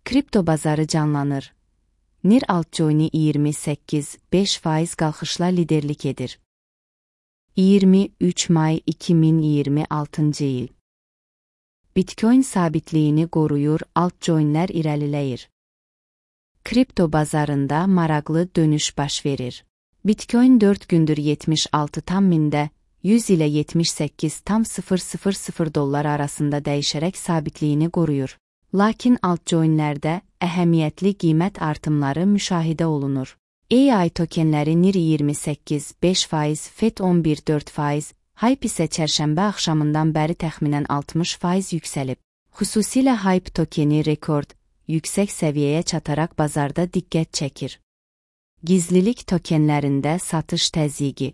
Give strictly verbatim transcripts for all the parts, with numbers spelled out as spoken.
Kripto bazarı canlanır. N I R altcoin'i iyirmi səkkiz beş faiz qalxışla liderlik edir. iyirmi üç may iki min iyirmi altıncı il. Bitcoin sabitliyini qoruyur, altcoinlər irəliləyir. Kripto bazarında maraqlı dönüş baş verir. Bitcoin dörd gündür yetmiş altı tam mində, yüz ilə yetmiş səkkiz tam sıfır sıfır sıfır dollar arasında dəyişərək sabitliyini qoruyur. Lakin altcoinlərdə əhəmiyyətli qiymət artımları müşahidə olunur. A I tokenləri N I R iyirmi səkkiz beş faiz, F E D on bir dörd faiz, Hype isə çərşənbə axşamından bəri təxminən altmış faiz yüksəlib. Xüsusilə Hype tokeni rekord, yüksək səviyyəyə çataraq bazarda diqqət çəkir. Gizlilik tokenlərində satış təzyiqi.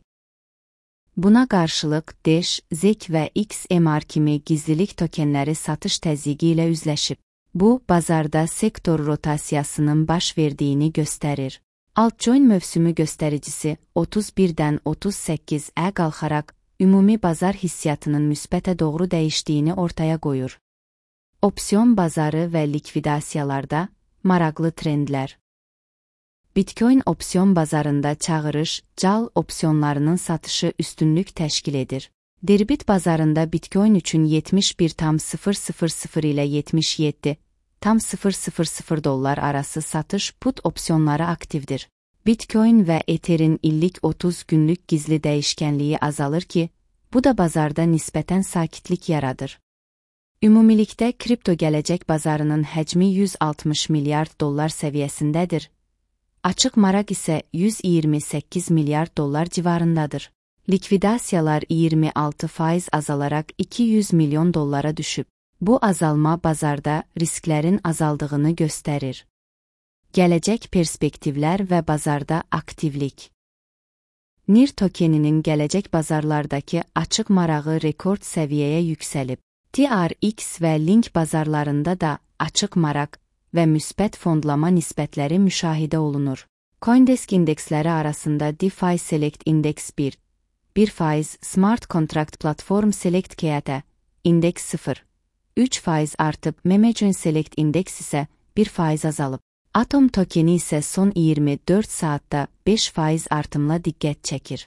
Buna qarşılıq Dash, Z E K və X M R kimi gizlilik tokenləri satış təzyiqi ilə üzləşib. Bu, bazarda sektor rotasiyasının baş verdiyini göstərir. Altcoin mövsümü göstəricisi otuz birdən otuz səkkizə qalxaraq, ümumi bazar hissiyatının müsbətə doğru dəyişdiyini ortaya qoyur. Opsiyon bazarı və likvidasiyalarda maraqlı trendlər. Bitcoin opsiyon bazarında çağırış, cal opsiyonlarının satışı üstünlük təşkil edir. Derbit bazarında Bitcoin üçün yetmiş bir tam sıfır sıfır sıfır ilə yetmiş yeddi tam sıfır sıfır sıfır dollar arası satış put opsiyonları aktivdir. Bitcoin və Ether'in illik otuz günlük gizli dəyişkənliyi azalır ki, bu da bazarda nisbətən sakitlik yaradır. Ümumilikdə kripto gələcək bazarının həcmi yüz altmış milyard dollar səviyyəsindədir. Açıq maraq isə yüz iyirmi səkkiz milyard dollar civarındadır. Likvidasiyalar iyirmi altı faiz azalaraq iki yüz milyon dollara düşüb. Bu azalma bazarda risklərin azaldığını göstərir. Gələcək perspektivlər və bazarda aktivlik. N I R tokeninin gələcək bazarlardakı açıq marağı rekord səviyyəyə yüksəlib. T R X və Link bazarlarında da açıq maraq və müsbət fondlama nisbətləri müşahidə olunur. CoinDesk indeksləri arasında DeFi Select Index bir, bir faiz, Smart Contract Platform Select K T, indeks sıfır, üç faiz artıb, Memecoin Select Index isə bir faiz azalıb. Atom tokeni isə son iyirmi dörd saatda beş faiz artımla diqqət çəkir.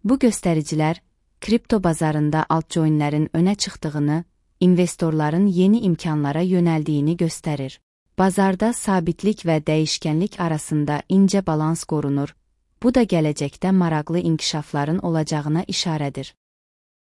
Bu göstəricilər, kripto bazarında altcoinlərin önə çıxdığını, investorların yeni imkanlara yönəldiyini göstərir. Bazarda sabitlik və dəyişkənlik arasında incə balans qorunur, bu da gələcəkdə maraqlı inkişafların olacağına işarədir.